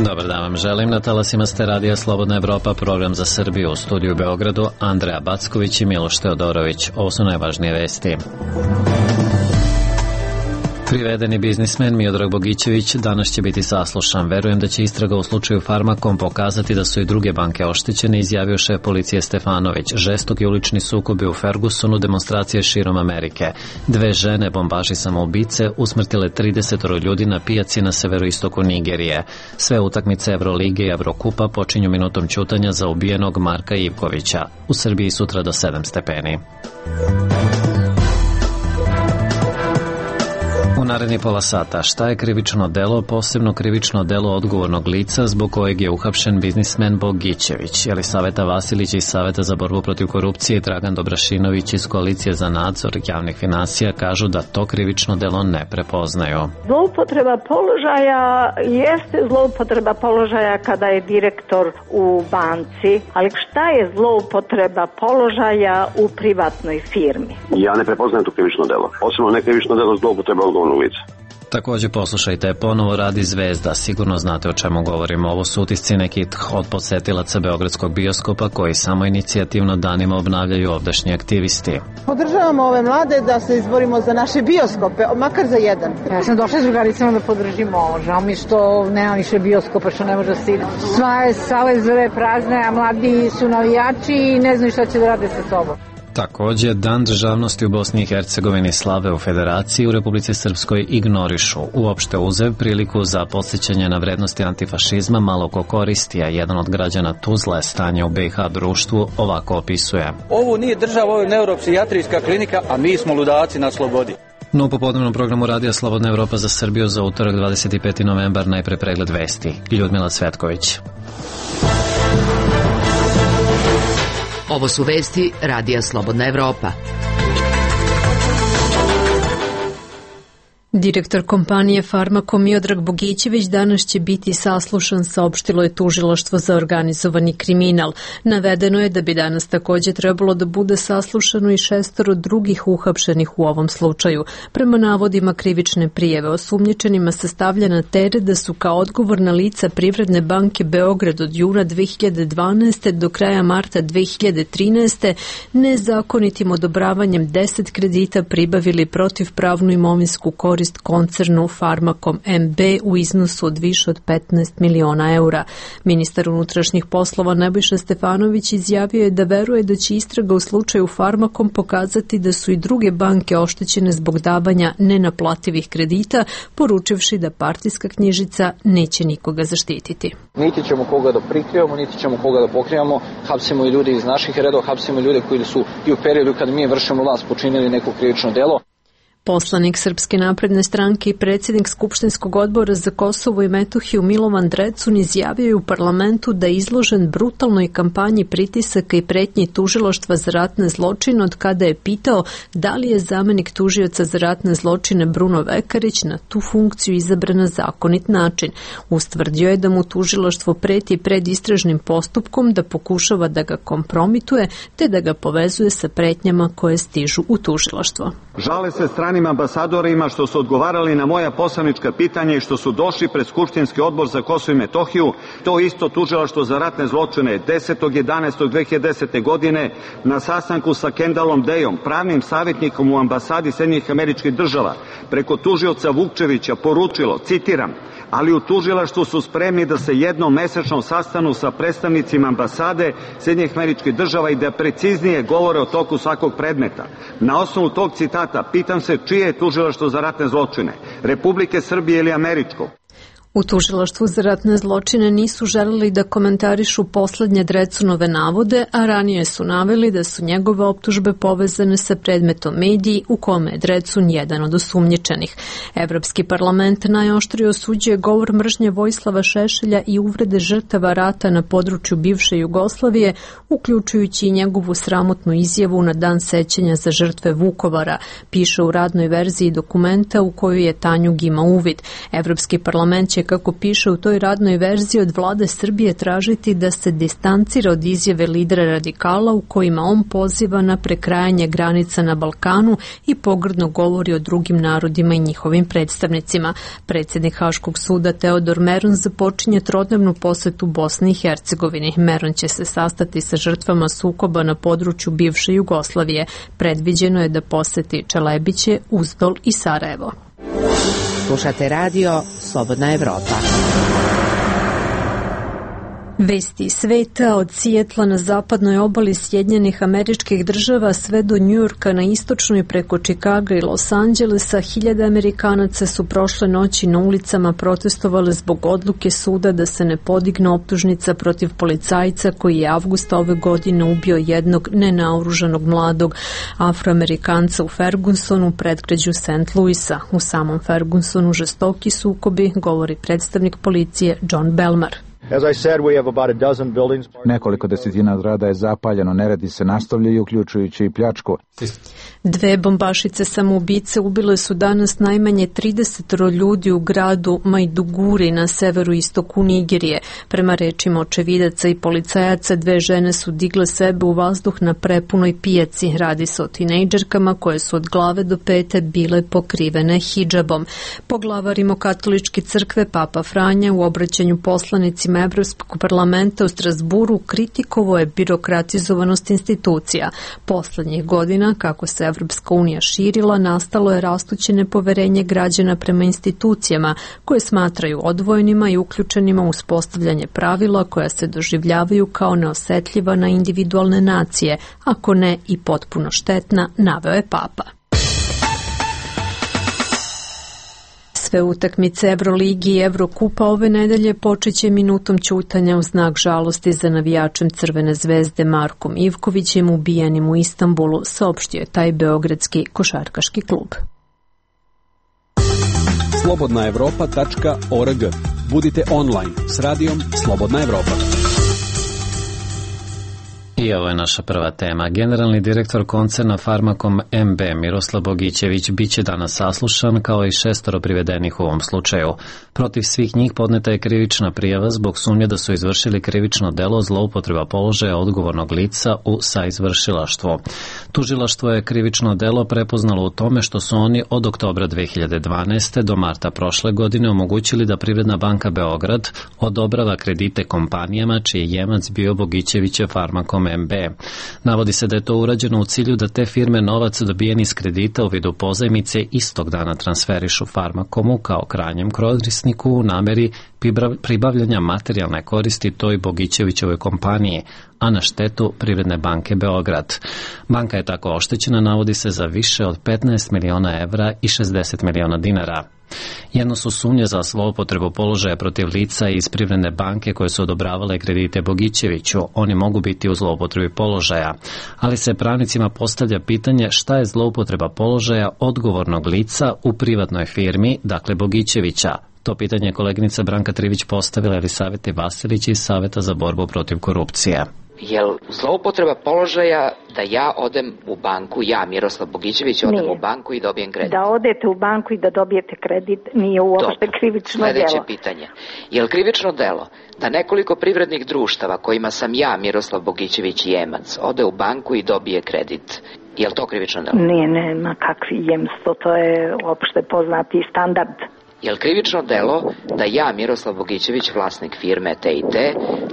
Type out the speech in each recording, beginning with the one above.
Dobar dan vam želim. Na talasima ste Radija Slobodna Evropa, program za Srbiju. U studiju u Beogradu Andreja Backović i Miloš Teodorović. Ovo su najvažnije vesti. Privedeni biznismen Miodrag Bogićević danas će biti saslušan. Verujem da će istraga u slučaju Farmakom pokazati da su i druge banke oštećene, izjavio šef policije Stefanović. Žestoki ulični sukobi u Fergusonu, demonstracije širom Amerike. 2 žene, bombaši samoubice, usmrtile 30 ljudi na pijaci na severoistoku Nigerije. Sve utakmice Evrolige i Evrokupa počinju minutom ćutanja za ubijenog Marka Ivkovića. U Srbiji sutra do 7 stepeni. U naredni pola sata, šta je krivično delo, posebno krivično delo odgovornog lica zbog kojeg je uhapšen biznismen Bogićević. Jelisaveta Vasilić iz Saveta za borbu protiv korupcije i Dragan Dobrašinović iz Koalicije za nadzor javnih finansija kažu da to krivično delo ne prepoznaju. Zloupotreba položaja jeste zloupotreba položaja kada je direktor u banci, ali šta je zloupotreba položaja u privatnoj firmi? Ja ne prepoznajem to krivično delo. Posebno ne krivično delo zloupotreba odgovornog lica. Također poslušajte, ponovo radi Zvezda, sigurno znate o čemu govorimo. Ovo su utisci nekih od posetilaca Beogradskog bioskopa koji samo inicijativno danima obnavljaju ovdašnji aktivisti. Podržavamo ove mlade da se izborimo za naše bioskope, makar za jedan. Ja sam došla s drugaricama da podržimo ovo, žao mi što nema više bioskopa, što ne može da se ide. Sva sale zove prazne, a mladi su navijači i ne znaju šta će da rade sa sobom. Također, Dan državnosti u Bosni i Hercegovini slave u Federaciji, u Republici Srpskoj ignorišu. Uopšte uzev priliku za podsjećanje na vrednosti antifašizma malo ko koristi, a jedan od građana Tuzle stanje u BiH društvu ovako opisuje. Ovo nije država, ovo je neuropsijatrijska klinika, a mi smo ludaci na slobodi. No, u popodnevnom programu Radija Slobodna Evropa za Srbiju za utorak 25. novembar najpre pregled vesti. Ljudmila Cvetković. Ovo su vesti Radija Slobodna Evropa. Direktor kompanije Farmakom Miodrag Bogićević danas će biti saslušan, saopštilo je tužilaštvo za organizovani kriminal. Navedeno je da bi danas također trebalo da bude saslušano i 6 drugih uhapšenih u ovom slučaju. Prema navodima krivične prijave osumnjičenima se stavlja na teret da su kao odgovorna lica Privredne banke Beograd od juna 2012. do kraja marta 2013. nezakonitim odobravanjem 10 kredita pribavili protivpravnu imovinsku korist koncernu Farmakom MB u iznosu od više od 15 miliona eura. Ministar unutrašnjih poslova Nebojša Stefanović izjavio je da veruje da će istraga u slučaju Farmakom pokazati da su i druge banke oštećene zbog davanja nenaplativih kredita, poručivši da partijska knjižica neće nikoga zaštititi. Niti ćemo koga da prikrivamo, niti ćemo koga da pokrivamo. Hapsimo i ljude iz naših redova, hapsimo i ljude koji su i u periodu kad mi vršimo vlast počinili neko krivično delo. Poslanik Srpske napredne stranke i predsjednik Skupštinskog odbora za Kosovo i Metohiju Milovan Drecun izjavio je u parlamentu da je izložen brutalnoj kampanji pritisaka i pretnji tužilaštva za ratne zločine od kada je pitao da li je zamenik tužioca za ratne zločine Bruno Vekarić na tu funkciju izabran na zakonit način. Ustvrdio je da mu tužilaštvo preti pred istražnim postupkom, da pokušava da ga kompromituje te da ga povezuje sa pretnjama koje stižu u tužilaštvo. Žale se stranim ambasadorima što su odgovarali na moja poslanička pitanja i što su došli pred Skupštinski odbor za Kosovo i Metohiju, to isto tužilaštvo za ratne zločine 10.11.2010. godine na sastanku sa Kendalom Dejom, pravnim savjetnikom u ambasadi Sjedinjenih Američkih Država, preko tužioca Vukčevića poručilo, citiram, ali u tužilaštvu su spremni da se jednom mesečno sastanu sa predstavnicima ambasade Sjedinjenih Američkih Država i da preciznije govore o toku svakog predmeta. Na osnovu tog citata pitam se čije je tužilaštvo za ratne zločine, Republike Srbije ili američko? U tužilaštvu za ratne zločine nisu želeli da komentarišu poslednje Drecunove navode, a ranije su naveli da su njegove optužbe povezane sa predmetom mediji u kome je Drecun jedan od osumnjičenih. Evropski parlament najoštrije osuđuje govor mržnje Vojislava Šešelja i uvrede žrtava rata na području bivše Jugoslavije, uključujući i njegovu sramotnu izjavu na dan sećanja za žrtve Vukovara, piše u radnoj verziji dokumenta u koju je Tanjug ima uvid. Evropski parlament će će, kako piše u toj radnoj verziji, od vlade Srbije tražiti da se distancira od izjave lidera radikala u kojima on poziva na prekrajanje granica na Balkanu i pogrdno govori o drugim narodima i njihovim predstavnicima. Predsjednik Haškog suda Teodor Meron započinje trodnevnu posetu Bosni i Hercegovini. Meron će se sastati sa žrtvama sukoba na području bivše Jugoslavije. Predviđeno je da poseti Čelebiće, Uzdol i Sarajevo. Slušate radio Slobodna Evropa. Vesti sveta od Sijetla na zapadnoj obali Sjedinjenih Američkih Država sve do Njujorka na istočnoj preko Čikaga i Los Angelesa, hiljade Amerikanaca su prošle noći na ulicama protestovali zbog odluke suda da se ne podigne optužnica protiv policajca koji je avgusta ove godine ubio jednog nenaoružanog mladog Afroamerikanca u Fergusonu, predgrađu St. Louisa. U samom Fergusonu žestoki sukobi, govori predstavnik policije John Belmar. Nekoliko desetina zgrada je zapaljeno, neredi se nastavljaju, uključujući i pljačku. 2 bombašice samoubice ubile su danas najmanje 30 ljudi u gradu Maiduguri na severu istoku Nigerije. Prema rečima očevidaca i policajaca, 2 žene su digle sebe u vazduh na prepunoj pijaci. Radi se o tinejdžerkama koje su od glave do pete bile pokrivene hidžabom. Poglavar Rimokatoličke crkve Papa Franja u obraćanju poslanicima Evropskog parlamenta u Strasburu kritikovao je birokratizovanost institucija. Poslednjih godina, kako se Evropska unija širila, nastalo je rastuće nepoverenje građana prema institucijama koje smatraju odvojenima i uključenima u uspostavljanje pravila koja se doživljavaju kao neosetljiva na individualne nacije, ako ne i potpuno štetna, naveo je Papa. Sve utakmice Evroligi i Evrokupa ove nedelje počeće minutom ćutanja u znak žalosti za navijačem Crvene zvezde Markom Ivkovićem ubijenim u Istanbulu, saopštio je taj beogradski košarkaški klub. slobodnaevropa.org. Budite online s radijom Slobodna Evropa. I ovo je naša prva tema. Generalni direktor koncerna Farmakom MB Miroslav Bogićević biće danas saslušan kao i 6 privedenih u ovom slučaju. Protiv svih njih podneta je krivična prijava zbog sumnje da su izvršili krivično delo zloupotreba položaja odgovornog lica u saizvršilaštvu. Tužilaštvo je krivično delo prepoznalo u tome što su oni od oktobra 2012. do marta prošle godine omogućili da Privredna banka Beograd odobrava kredite kompanijama čiji je jemac bio Bogićevićev Farmakom MB. Navodi se da je to urađeno u cilju da te firme novac dobijen iz kredita u vidu pozajmice istog dana transferišu Farmakomu kao krajnjem korisniku u nameri pribavljanja materijalne koristi toj Bogićevićevoj kompaniji, a na štetu Privredne banke Beograd. Banka je tako oštećena, navodi se, za više od 15 miliona evra i 60 miliona dinara. Jedno su sumnje za zloupotrebu položaja protiv lica iz Privredne banke koje su odobravale kredite Bogićeviću. Oni mogu biti u zloupotrebi položaja, ali se pravnicima postavlja pitanje šta je zloupotreba položaja odgovornog lica u privatnoj firmi, dakle Bogićevića. To pitanje je koleginica Branka Trivić postavila Elisaveti Vasilić iz Saveta za borbu protiv korupcije. Jel zloupotreba položaja da ja odem u banku, ja Miroslav Bogićević odem u banku i dobijem kredit? Da odete u banku i da dobijete kredit nije uopšte krivično delo. Sledeće pitanje. Jel krivično delo da nekoliko privrednih društava kojima sam ja Miroslav Bogićević jemac ode u banku i dobije kredit? Jel to krivično delo? Nije, nema kakvi jemstvo, to je opšte poznati standard. Je li krivično delo da ja, Miroslav Bogićević, vlasnik firme T&T,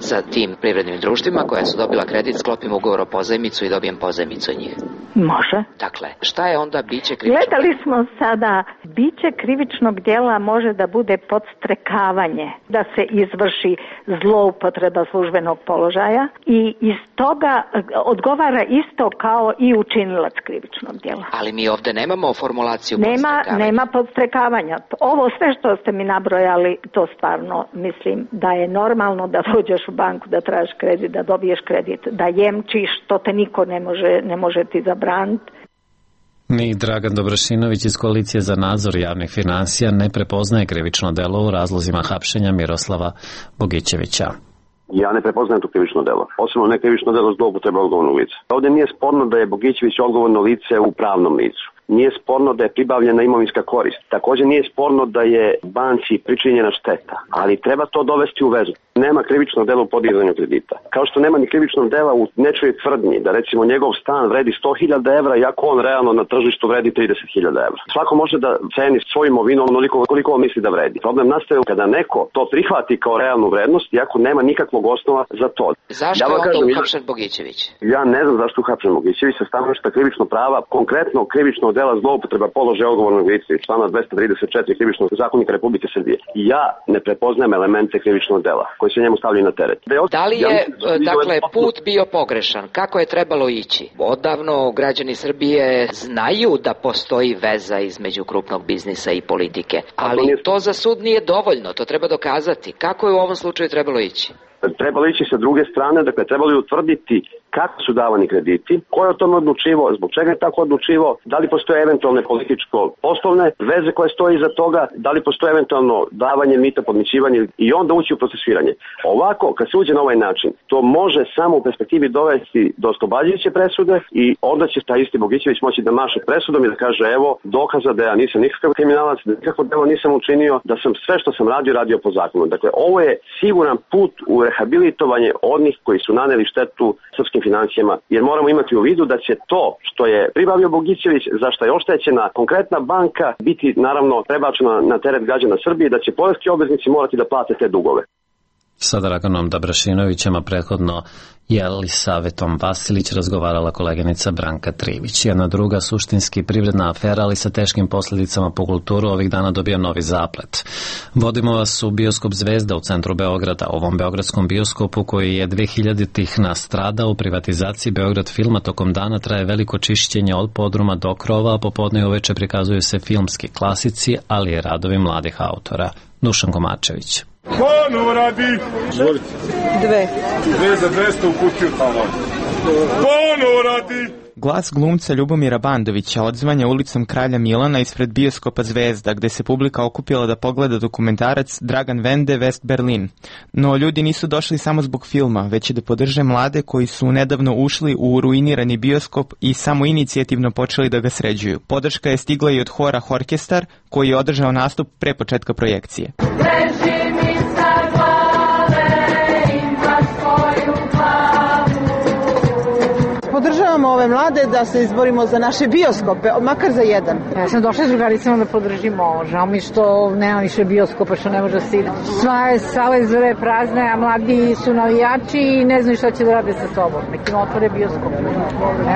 sa tim privrednim društvima koja su dobila kredit, sklopim ugovor o pozajmicu i dobijem pozajmicu od njih? Može. Dakle, šta je onda biće krivičnog? Gledali smo sada, biće krivičnog djela može da bude podstrekavanje, da se izvrši zloupotreba službenog položaja i iz toga odgovara isto kao i učinilac krivičnog djela. Ali mi ovde nemamo formulaciju podstrekavanja. Nema podstrekavanja. Ovo sve što ste mi nabrojali, to stvarno mislim da je normalno da dođeš u banku, da tražiš kredit, da dobiješ kredit, da jemčiš, to te niko ne može ti zabraniti. Ni Dragan Dobrašinović iz Koalicije za nadzor javnih finansija ne prepoznaje krivično delo u razlozima hapšenja Miroslava Bogićevića. Ja ne prepoznajem to krivično delo. Posebno ne krivično delo zloupotreba odgovornog lica. Ovdje nije sporno da je Bogićević odgovorno lice u pravnom licu. Nije sporno da je pribavljena imovinska korist. Također nije sporno da je banci pričinjena šteta, ali treba to dovesti u vezu. Nema krivičnog dela u podizanju kredita. Kao što nema ni krivičnog dela u nečoj tvrdnji da recimo njegov stan vredi 100.000 evra, iako on realno na tržištu vredi 30.000 evra. Svako može da ceni svoju imovinu onoliko koliko on misli da vredi. Problem nastaje kada neko to prihvati kao realnu vrednost, iako nema nikakvog osnova za to. Zašto je onda uhapšen Bogićević? Ja ne znam zašto je uhapšen Bogićević sa stanovišta krivičnog prava, konkretno krivičnog dela zloupotreba položaja odgovornog lica iz člana 234 krivičnog zakonika Republike Srbije. Ja ne prepoznajem elemente krivičnog dela koji se njemu stavljaju na teret. Da li je, dakle, put bio pogrešan? Kako je trebalo ići? Odavno građani Srbije znaju da postoji veza između krupnog biznisa i politike, ali to za sud nije dovoljno, to treba dokazati. Kako je u ovom slučaju trebalo ići? Trebalo ići sa druge strane, dakle trebalo je utvrditi kako su davani krediti, ko je o tome odlučivao, zbog čega je tako odlučivao, da li postoje eventualne političko-poslovne veze koje stoje iza toga, da li postoje eventualno davanje mita, podmićivanje i onda ući u procesuiranje. Ovako, kad se uđe na ovaj način, to može samo u perspektivi dovesti do oslobađajuće presude i onda će taj isti Bogićević moći da maše presudom i da kaže evo dokaza da ja nisam nikakav kriminalac, da nikakvo delo nisam učinio, da sam sve što sam radio po zakonu. Dakle, ovo je siguran put u rehabilitovanje onih koji su naneli štetu srpskim financijama, jer moramo imati u vidu da će to što je pribavio Bogićević, za što je oštećena konkretna banka, biti naravno prebačena na teret građana Srbije, da će poreski obveznici morati da plate te dugove. Sa Draganom Dabrašinovićem, a prethodno Jelisavetom Vasilić razgovarala koleginica Branka Trivić. Jedna druga suštinski privredna afera, ali sa teškim posljedicama po kulturu, ovih dana dobija novi zaplet. Vodimo vas u bioskop Zvezda u centru Beograda. Ovom beogradskom bioskopu koji je 2000-ih nastradao u privatizaciji Beograd filma, tokom dana traje veliko čišćenje od podruma do krova, a popodne i uveče prikazuju se filmski klasici, ali i radovi mladih autora. Dušan Komačević. Kono radi? Izvolite. 2 za 200 u kutiju tamo. Kono radi? Glas glumca Ljubomira Bandovića odzvanja ulicom Kralja Milana ispred bioskopa Zvezda, gde se publika okupila da pogleda dokumentarac Dragan Vende West Berlin. No ljudi nisu došli samo zbog filma, već i da podrže mlade koji su nedavno ušli u ruinirani bioskop i samo inicijativno počeli da ga sređuju. Podrška je stigla i od hora Horkestar, koji je održao nastup pre početka projekcije. Podržavamo ove mlade da se izborimo za naše bioskope, makar za jedan. Ja sam došla s drugaricama da podržimo ovo. Žao mi što nema više bioskopa, što ne može da se ide. Sva sale izvore prazne, a mladi su navijači i ne znaju šta će da rade sa sobom. Nekim otvore bioskop.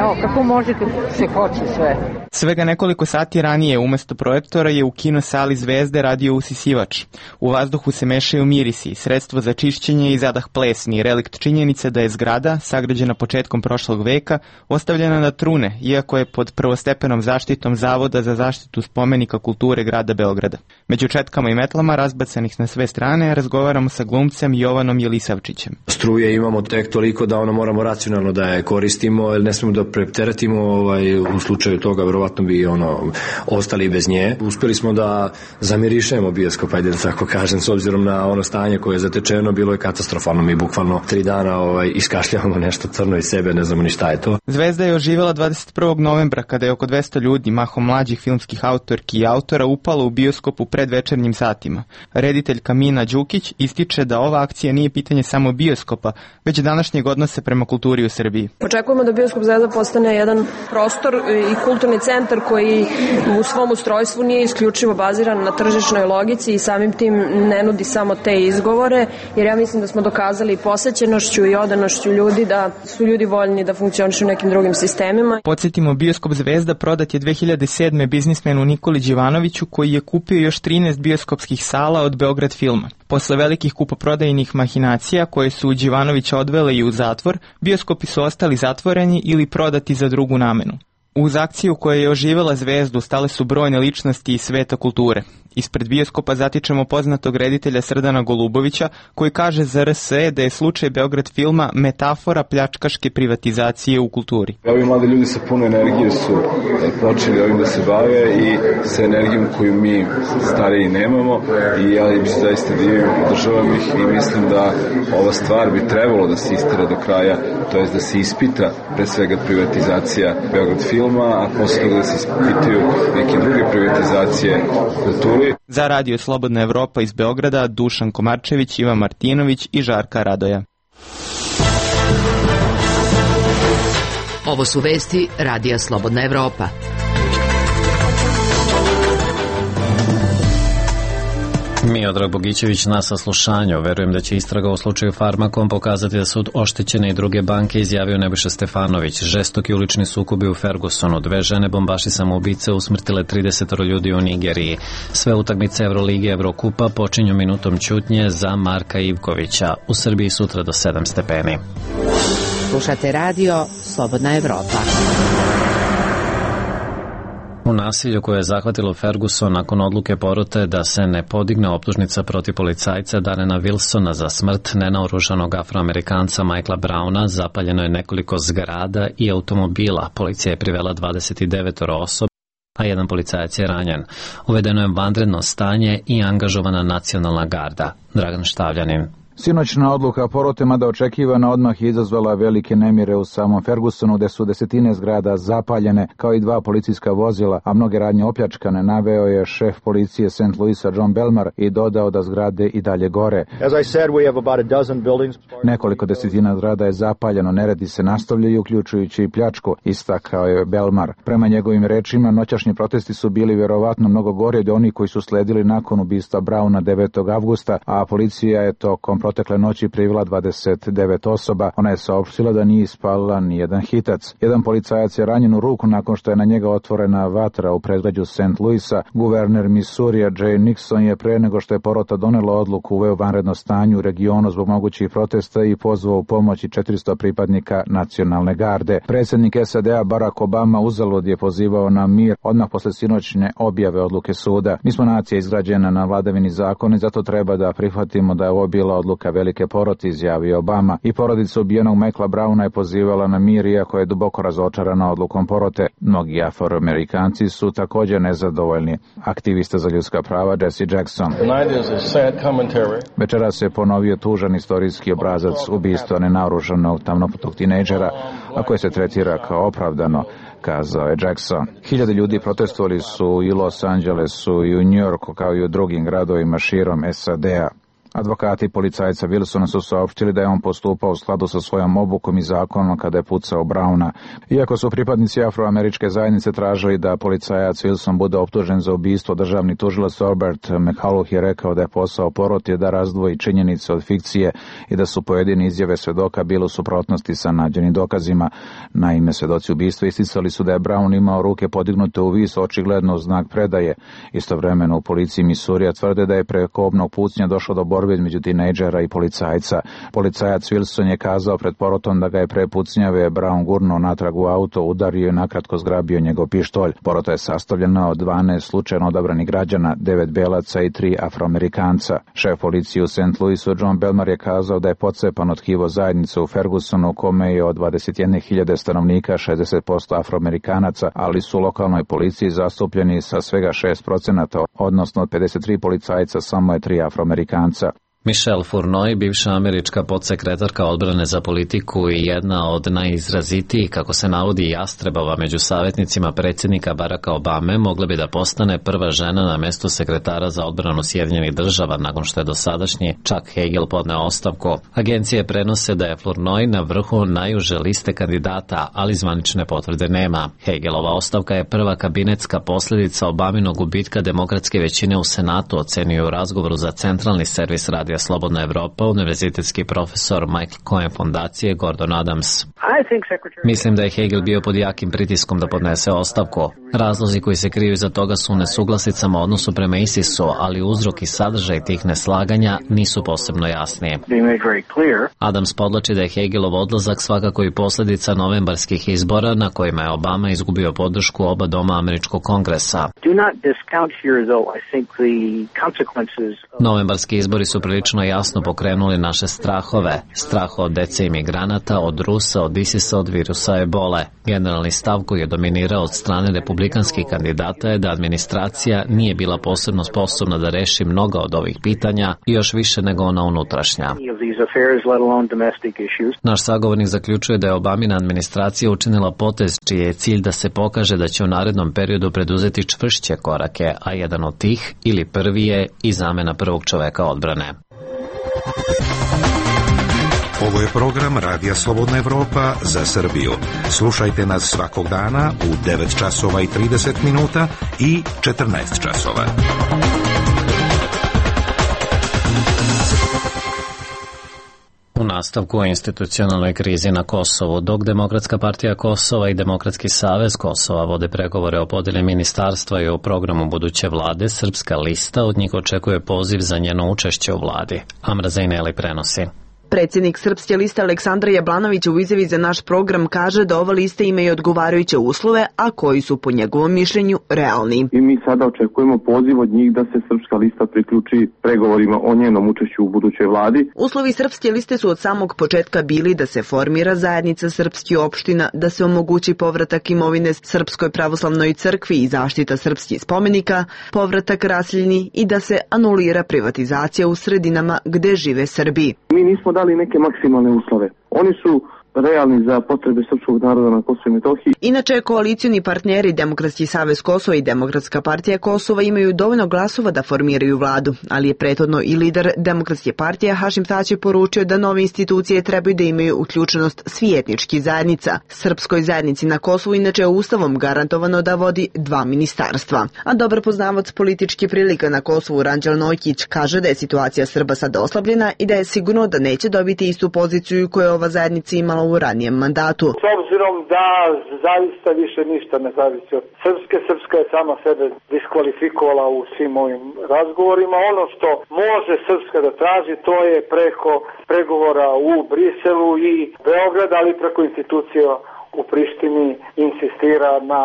Evo, kako može kad se hoće sve. Svega nekoliko sati ranije umesto projektora je u kino sali Zvezde radio usisivač. U vazduhu se mešaju mirisi, sredstvo za čišćenje i zadah plesni, relikt činjenice da je zgrada, sagrađena početkom prošlog veka, ostavljena na trune, iako je pod prvostepenom zaštitom Zavoda za zaštitu spomenika kulture grada Beograda. Među četkama i metlama, razbacanih na sve strane, razgovaramo sa glumcem Jovanom Jelisavčićem. Struje imamo tek toliko da moramo racionalno da je koristimo, jer ne smemo da preteretimo, u slučaju toga verovatno bi ostali bez nje. Uspjeli smo da zamirišemo bioskop, ajde da tako kažem, s obzirom na ono stanje koje je zatečeno, bilo je katastrofalno. Mi bukvalno 3 dana iskašljavamo nešto crno iz sebe, ne znamo ni šta je to. Zvezda je oživjela 21. novembra kada je oko 200 ljudi, mahom mlađih filmskih autorki i autora, upalo u bioskop u predvečernjim satima. Reditelj Kamina Đukić ističe da ova akcija nije pitanje samo bioskopa, već današnjeg odnosa prema kulturi u Srbiji. Očekujemo da bioskop Zvezda postane jedan prostor i kulturni centar koji u svom ustrojstvu nije isključivo baziran na tržišnoj logici i samim tim ne nudi samo te izgovore, jer ja mislim da smo dokazali posećenošću i odanošću ljudi da su ljudi voljni da funkcionišu u nekim drugim sistemima. Podsjetimo, bioskop Zvezda prodat je 2007. biznismenu Nikoli Đivanoviću, koji je kupio još 13 bioskopskih sala od Beograd filma. Posle velikih kupoprodajnih mahinacija koje su Đivanovića odvele i u zatvor, bioskopi su ostali zatvoreni ili prodati za drugu namenu. Uz akciju koja je oživjela Zvezdu stale su brojne ličnosti iz sveta kulture. Ispred bioskopa zatičemo poznatog reditelja Srdana Golubovića, koji kaže za RSE da je slučaj Beograd filma metafora pljačkaške privatizacije u kulturi. Ovi mladi ljudi sa puno energije su počeli ovim da se bave i sa energijom koju mi stariji nemamo i ja im se zaista divim, podržavam ih i mislim da ova stvar bi trebalo da se istera do kraja, to jest da se ispita pre svega privatizacija Beograd filma, a posle toga da se ispitaju neke druge privatizacije u kulturi. Za Radio Slobodna Evropa iz Beograda Dušan Komarčević, Ivan Martinović i Žarka Radoja. Ovo su vesti Radija Slobodna Evropa. Miodrag Bogićević na saslušanju. Verujem da će istraga u slučaju Farmakom pokazati da su oštećene i druge banke, izjavio Nebojša Stefanović. Žestoki ulični sukobi u Fergusonu. 2 žene bombaši samoubice usmrtile 30 ljudi u Nigeriji. Sve utakmice Evrolige i Evrokupa počinju minutom ćutnje za Marka Ivkovića. U Srbiji sutra do 7 stepeni. Slušate radio Slobodna Evropa. U nasilju koje je zahvatilo Ferguson nakon odluke porote da se ne podigne optužnica protiv policajca Darrena Wilsona za smrt nenaoružanog Afroamerikanca Michaela Browna zapaljeno je nekoliko zgrada i automobila. Policija je privela 29 osoba, a jedan policajac je ranjen. Uvedeno je vanredno stanje i angažovana nacionalna garda. Dragan Štavljanin. Sinoćna odluka porote, mada očekivana, odmah je izazvala velike nemire u samom Fergusonu, gde su desetine zgrada zapaljene, kao i 2 policijska vozila, a mnoge radnje opljačkane, naveo je šef policije St. Louisa John Belmar i dodao da zgrade i dalje gore. Nekoliko desetina zgrada je zapaljeno, neredi se nastavljaju, uključujući i pljačku, istakao je Belmar. Prema njegovim rečima, noćašnji protesti su bili vjerovatno mnogo gori od onih koji su sledili nakon ubistva Browna 9. avgusta, a policija je tokom protekle noći privela 29 osoba. Ona je saopštila da nije ispalila ni jedan hitac. Jedan policajac je ranjen u ruku nakon što je na njega otvorena vatra u predgrađu St. Louisa. Guverner Missourija Jay Nixon je pre nego što je porota donela odluku uveo vanredno stanje u regionu zbog mogućih protesta i pozvao u pomoć 400 pripadnika nacionalne garde. Predsjednik SAD-a Barack Obama uzalud je pozivao na mir odmah posle sinoćne objave odluke suda. Mi smo nacija izgrađena na vladavini zakona i zato treba da prihvatimo da je ovo bila odluka velike porote, izjavio Obama. I porodica ubijenog Michaela Browna je pozivala na mir, iako je duboko razočarana odlukom porote. Mnogi Afroamerikanci su također nezadovoljni. Aktivista za ljudska prava Jesse Jackson. Večeras se ponovio tužan istorijski obrazac ubistva nenaoružanog tamnoputog tinejdžera, a koje se tretira kao opravdano, kazao je Jackson. Hiljade ljudi protestovali su i u Los Angelesu i u New Yorku, kao i u drugim gradovima širom SAD-a. Advokati policajca Wilsona su saopštili da je on postupao u skladu sa svojom obukom i zakonom kada je pucao Browna. Iako su pripadnici afroameričke zajednice tražili da policajac Wilson bude optužen za ubistvo, državni tužilac Robert McCullough je rekao da je posao porote da razdvoji činjenice od fikcije i da su pojedine izjave svedoka bile u suprotnosti sa nađenim dokazima. Naime, svedoci ubistva isticali su da je Brown imao ruke podignute u vis, očigledno u znak predaje. Istovremeno u policiji Missourija tvrde da je preko kobnog pucnja došlo do borbe između tinejdžera i policajca. Policajac Wilson je kazao pred porotom da ga je pre pucnjave Brown gurnuo natrag u auto, udario i nakratko zgrabio njegov pištolj. Porota je sastavljena od 12 slučajno odabranih građana, 9 belaca i 3 afroamerikanca. Šef policije u St. Louisu John Belmar je kazao da je pocepan od tkivo zajednice u Fergusonu, u kome je od 21.000 stanovnika 60% afroamerikanaca, ali su u lokalnoj policiji zastupljeni sa svega 6%, odnosno od 53 policajca samo je 3 afroamerikanca. Michelle Fournoy, bivša američka podsekretarka odbrane za politiku i jedna od najizrazitijih, kako se navodi, jastrebova među savjetnicima predsjednika Baracka Obame, mogla bi da postane prva žena na mestu sekretara za odbranu Sjedinjenih Država nakon što je dosadašnji Chuck Hagel podneo ostavku. Agencije prenose da je Fournoy na vrhu najuže liste kandidata, ali zvanične potvrde nema. Hagelova ostavka je prva kabinetska posljedica Obaminog gubitka demokratske većine u Senatu, ocenio u razgovoru za centralni servis Radija Slobodna Evropa univerzitetski profesor Michael Cohen fondacije Gordon Adams. Mislim da je Hegel bio pod jakim pritiskom da podnese ostavku. Razlozi koji se kriju iza toga su u nesuglasicama odnosu prema ISIS-u, ali uzrok i sadržaj tih neslaganja nisu posebno jasni. Adams podlači da je Hegelov odlazak svakako i posljedica novembarskih izbora na kojima je Obama izgubio podršku oba doma američkog kongresa. Novembarski izbori su prilično jasno pokrenuli naše strahove. Strah od dece imigranata, od Rusa, od ISIS-a, od virusa ebole. Generalni stav koji je dominirao od strane republikanskih kandidata je da administracija nije bila posebno sposobna da reši mnoga od ovih pitanja i još više nego ona unutrašnja. Naš sagovornik zaključuje da je Obamina administracija učinila potez čiji je cilj da se pokaže da će u narednom periodu preduzeti čvršće korake, a jedan od tih ili prvi je i zamena prvog čoveka odbrane. Ovo je program Radija Slobodna Evropa za Srbiju. Slušajte nas svakog dana u 9 časova i 30 minuta i 14 časova. U nastavku o institucionalnoj krizi na Kosovu, dok Demokratska partija Kosova i Demokratski savez Kosova vode pregovore o podeli ministarstva i o programu buduće vlade, Srpska lista od njih očekuje poziv za njeno učešće u vladi. Amra Zajneli prenosi. Predsjednik Srpske liste Aleksandar Jablanović u izjavi za naš program kaže da ova lista ima i odgovarajuće uslove, a koji su po njegovom mišljenju realni. I mi sada očekujemo poziv od njih da se Srpska lista priključi pregovorima o njenom učešću u budućoj vladi. Uslovi Srpske liste su od samog početka bili da se formira zajednica srpskih opština, da se omogući povratak imovine Srpskoj pravoslavnoj crkvi i zaštita srpskih spomenika, povratak raseljeni i da se anulira privatizacija u sredinama gde žive Srbi. Mi nismo dali neke maksimalne uslove. Oni su realni za potrebe srpskog naroda na Kosovu i Metohiji. Inače, koalicioni partneri Demokratski savez Kosova i Demokratska partija Kosova imaju dovoljno glasova da formiraju vladu, ali je prethodno i lider Demokratske partije Hašim Tači poručio da nove institucije trebaju da imaju uključenost svih etničkih zajednica. Srpskoj zajednici na Kosovu inače je ustavom garantovano da vodi 2 ministarstva. A dobar poznavac političkih prilika na Kosovu Ranđel Nojkić kaže da je situacija Srba sada oslabljena i da je sigurno da neće dobiti istu poziciju koju je ova zajednica imala u ranijem mandatu. S obzirom da zaista više ništa ne zavisi od Srpske. Srpska je sama sebe diskvalifikovala u svim ovim razgovorima. Ono što može Srpska da traži, to je preko pregovora u Briselu i Beogradu, ali preko institucija u Prištini insistira na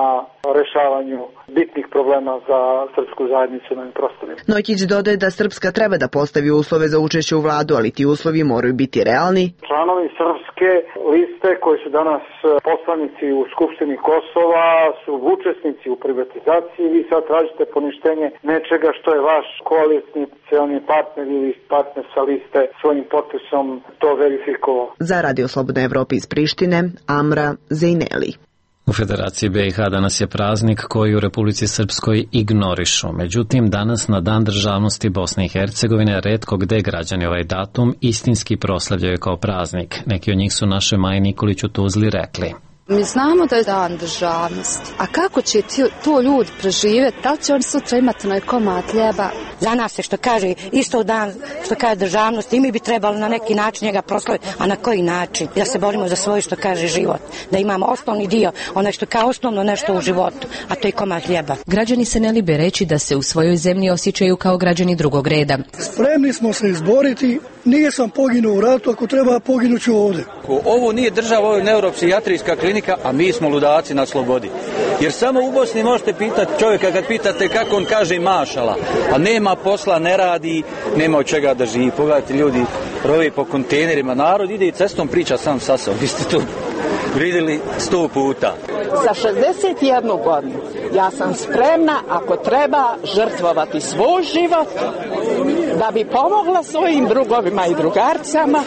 rešavanju bitnih problema za srpsku zajednicu na ovim prostorima. Nojkić dodaje da Srpska treba da postavi uslove za učešće u vladu, ali ti uslovi moraju biti realni. Članovi Srpske liste koji su danas poslanici u Skupštini Kosova su učesnici u privatizaciji. Vi sad tražite poništenje nečega što je vaš koalicioni partner ili partner sa liste svojim potpisom to verifikovao. Za Radio Slobodna Evropa iz Prištine, Amra Zajneli. U Federaciji BiH danas je praznik koji u Republici Srpskoj ignorišu. Međutim, danas na Dan državnosti Bosne i Hercegovine retko gde građani ovaj datum istinski proslavljaju kao praznik. Neki od njih su našoj Maji Nikolić u Tuzli rekli. Mi znamo da je Dan državnosti, a kako će to ljudi preživjeti? Da li će oni sutra imati onaj komad hljeba? Za nas se što kaže isto dan što kaže državnost i mi bi trebali na neki način njega proslaviti, a na koji način? Da se borimo za svoj što kaže život, da imamo osnovni dio, ono što kao osnovno nešto u životu, a to je komad hljeba. Građani se ne libe reći da se u svojoj zemlji osjećaju kao građani drugog reda. Spremni smo se izboriti, nije sam poginuo u ratu, ako treba poginuću ovdje. Ovo nije država, ovo je neuropsijatrijska klinika, a mi smo ludaci na slobodi. Jer samo u Bosni možete pitati čovjeka kad pitate kako on kaže mašala, a nema posla, ne radi, nema od čega da živi. Pogledajte, ljudi rove po kontejnerima, narod ide i cestom priča sam sa sobom. Vi ste to vidjeli 100 puta. Sa 61 godinu ja sam spremna, ako treba, žrtvovati svoj život da bi pomogla svojim drugovima i drugarcama,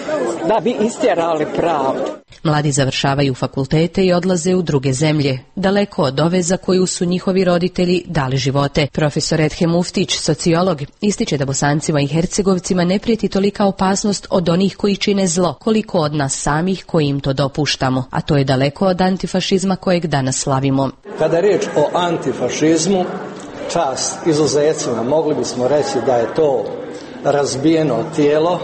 da bi istjerali pravdu. Mladi završavaju fakultete i odlaze u druge zemlje, daleko od ove za koju su njihovi roditelji dali živote. Profesor Edhem Muftić, sociolog, ističe da Bosancima i Hercegovcima ne prijeti tolika opasnost od onih koji čine zlo, koliko od nas samih koji im to dopuštamo, a to je daleko od antifašizma kojeg danas slavimo. Kada je riječ o antifašizmu, čast izuzecima, mogli bismo reći da je to razbijeno tijelo,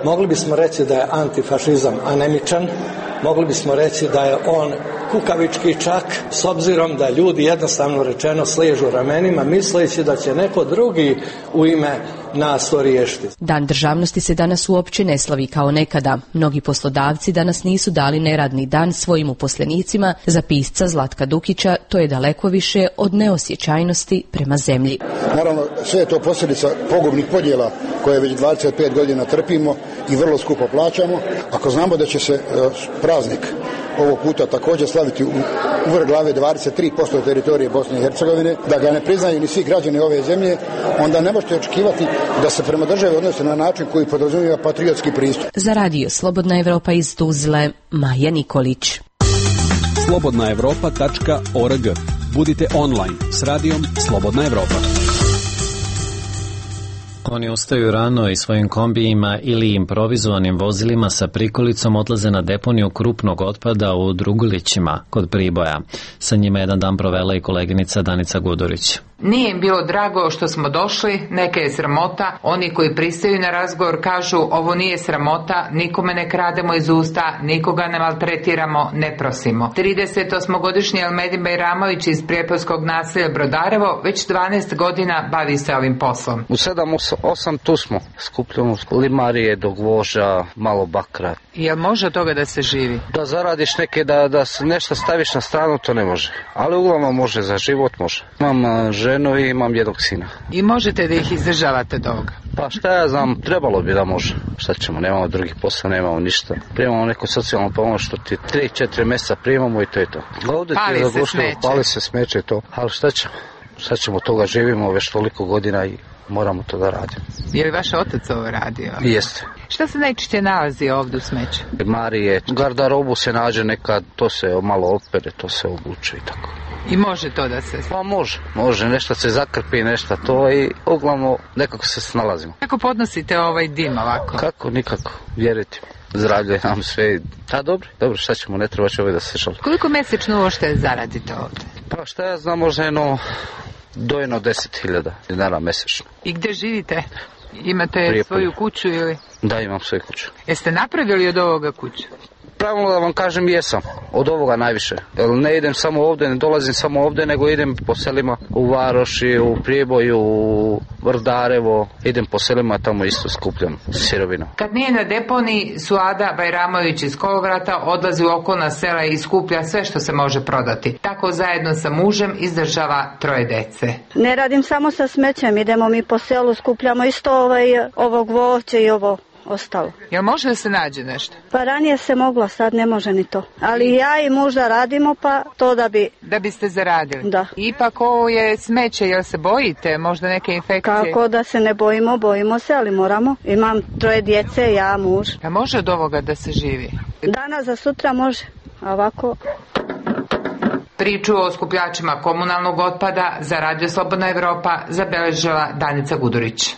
mogli bismo reći da je antifašizam anemičan, mogli bismo reći da je on kukavički čak, s obzirom da ljudi jednostavno rečeno sliježu ramenima misleći da će neko drugi u ime nas to riješiti. Dan državnosti se danas uopće ne slavi kao nekada. Mnogi poslodavci danas nisu dali neradni dan svojim uposlenicima. Za pisca Zlatka Dukića to je daleko više od neosjećajnosti prema zemlji. Naravno, sve je to posljedica pogubnih podjela koje već 25 godina trpimo i vrlo skupo plaćamo. Ako znamo da će se praznik ovog puta također slaviti u vrh glave 23% teritorije Bosne i Hercegovine, da ga ne priznaju ni svi građani ove zemlje, onda ne možete očekivati da se prema državi odnose na način koji podrazumijeva patriotski pristup. Za radio Slobodna Evropa iz Tuzle, Maja Nikolić. slobodnaevropa.org. Budite online s radijom Slobodna Evropa. Oni ustaju rano i svojim kombijima ili improvizovanim vozilima sa prikolicom odlaze na deponiju krupnog otpada u Drugulićima kod Priboja. Sa njima jedan dan provela i koleginica Danica Gudurić. Nije im bilo drago što smo došli, neke je sramota. Oni koji pristaju na razgovor kažu ovo nije sramota, nikome ne krademo iz usta, nikoga ne maltretiramo, ne prosimo. 38-godišnji Elmedin Bajramović iz Prijepolskog naselja Brodarevo već 12 godina bavi se ovim poslom. U 7-8 tu smo, skupljamo limarije, do gvoža, malo bakra. Jel može od toga da se živi? Da zaradiš neke, da nešto staviš na stranu, to ne može. Ali uglavnom može, za život može. Imam ženu i imam jednog sina. I možete da ih izdržavate do ovoga? Pa šta ja znam, trebalo bi da može. Šta ćemo, nemamo drugih posla, nemamo ništa. Primamo neku socijalnu pomoć što ti 3-4 mjeseca primamo i to je to. Pali se smeće to. Ali šta ćemo toga, živimo već toliko godina i moramo to da radimo. Je li vaš otac ovo radio? Jeste. Šta se najčešće nalazi ovdje u smeću? Marije, gardarobu se nađe nekad, to se malo opere, to se obuče i tako. I može to da se... Pa može, nešto se zakrpi, nešto to i uglavnom nekako se snalazimo. Kako podnosite ovaj dim ovako? Kako, nikako, vjerujte. Zdravlje nam sve. A dobro, šta ćemo, ne treba će ovaj da se šali. Koliko mjesečno uopšte zaradite ovdje? Pa šta ja znam, možda dojeno 10.000 dinara mjesečno. I gdje živite? Imate svoju kuću ili? Da, imam svoju kuću. Jeste napravili od ovoga kuću? Pravilno da vam kažem, jesam. Od ovoga najviše. Jer ne idem samo ovdje, ne dolazim samo ovdje, nego idem po selima u Varoši, u Priboju, u Vrdarevo. Idem po selima, tamo isto skupljam sirovinu. Kad nije na deponiji, Suada Bajramović iz Kolovrata odlazi u okolna sela i skuplja sve što se može prodati. Tako zajedno sa mužem izdržava 3 dece. Ne radim samo sa smećem, idemo mi po selu, skupljamo isto ovo gvožđe i ovo ostalo. Jel može da se nađe nešto? Pa ranije se moglo, sad ne može ni to. Ali ja i muž da radimo, pa to da bi... Da biste zaradili? Da. Ipak ovo je smeće, jel se bojite? Možda neke infekcije? Kako da se ne bojimo se, ali moramo. Imam 3 djece, ja, muž. A može od ovoga da se živi? Danas za sutra može, a ovako... Priču o skupljačima komunalnog otpada za Radio Slobodna Evropa zabeležila Danica Gudurić.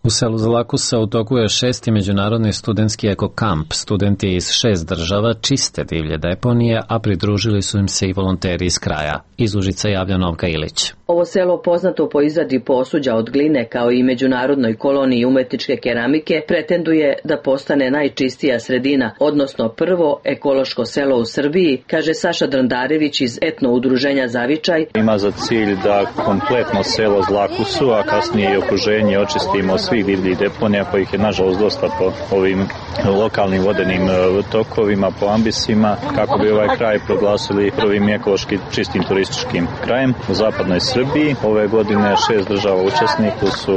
U selu Zlakusa u toku je 6. međunarodni studentski ekokamp. Studenti iz 6 država čiste divlje deponije, a pridružili su im se i volonteri iz kraja. Iz Užica javlja Novka Ilić. Ovo selo, poznato po izradi posuđa od gline kao i međunarodnoj koloniji umetničke keramike, pretenduje da postane najčistija sredina, odnosno prvo ekološko selo u Srbiji, kaže Saša Drandarević iz etno udruženja Zavičaj. Ima za cilj da kompletno selo Zlakusu, a kasnije i okruženje očistimo svih divljih deponija, kojih je nažalost dosta po ovim lokalnim vodenim tokovima, po ambisima, kako bi ovaj kraj proglasili prvim ekološki čistim turističkim krajem u zapadnoj Srbiji. Ove godine 6 država učesnika su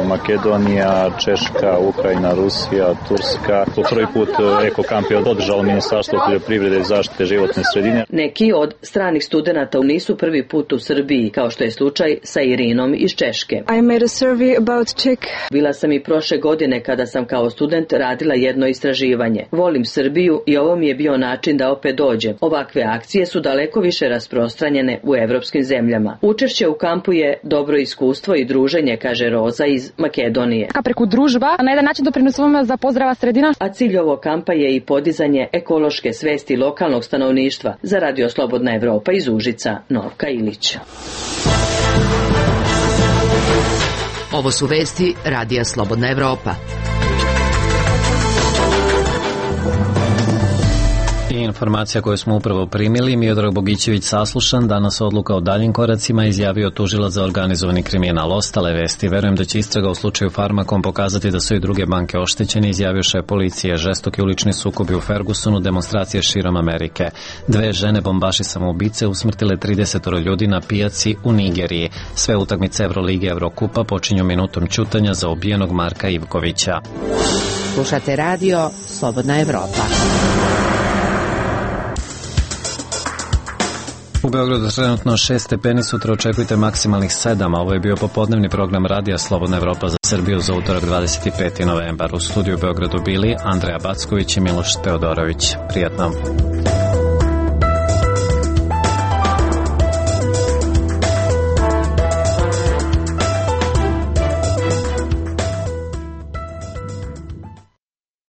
Makedonija, Češka, Ukrajina, Rusija, Turska. Po prvi put ekokamp je održalo Ministarstvo poljoprivrede i zaštite životne sredine. Neki od stranih studenata nisu prvi put u Srbiji, kao što je slučaj sa Irinom iz Češke. I made a survey about Czech. Bila sam i prošle godine kada sam kao student radila jedno istraživanje. Volim Srbiju i ovo mi je bio način da opet dođem. Ovakve akcije su daleko više rasprostranjene u evropskim zemljama. Učešće u kampu je dobro iskustvo i druženje, kaže Roza iz Makedonije. Preko družba na jedan način doprinosimo za pozdrava sredina. A cilj ovog kampa je i podizanje ekološke svesti lokalnog stanovništva. Za Radio Slobodna Evropa iz Užica, Novka Ilić. Ovo su vesti Radija Slobodna Evropa. I informacija koju smo upravo primili, Miodrag Bogićević saslušan, danas odluka o daljim koracima, izjavio tužilac za organizovani kriminal. Ostale vesti, verujem da će istraga u slučaju Farmakom pokazati da su i druge banke oštećene, izjavio šef policije. Žestoki ulični sukobi u Fergusonu, demonstracije širom Amerike. 2 žene bombaši samoubice usmrtile 30 ljudi na pijaci u Nigeriji. Sve utakmice Evrolige Evrokupa počinju minutom ćutanja za ubijenog Marka Ivkovića. Slušate radio Slobodna Evropa. U Beogradu trenutno 6 stepeni, sutra očekujte maksimalnih 7, a ovo je bio popodnevni program Radija Slobodna Evropa za Srbiju za utorak 25. novembar. U studiju u Beogradu bili Andreja Backović i Miloš Teodorović. Prijatno.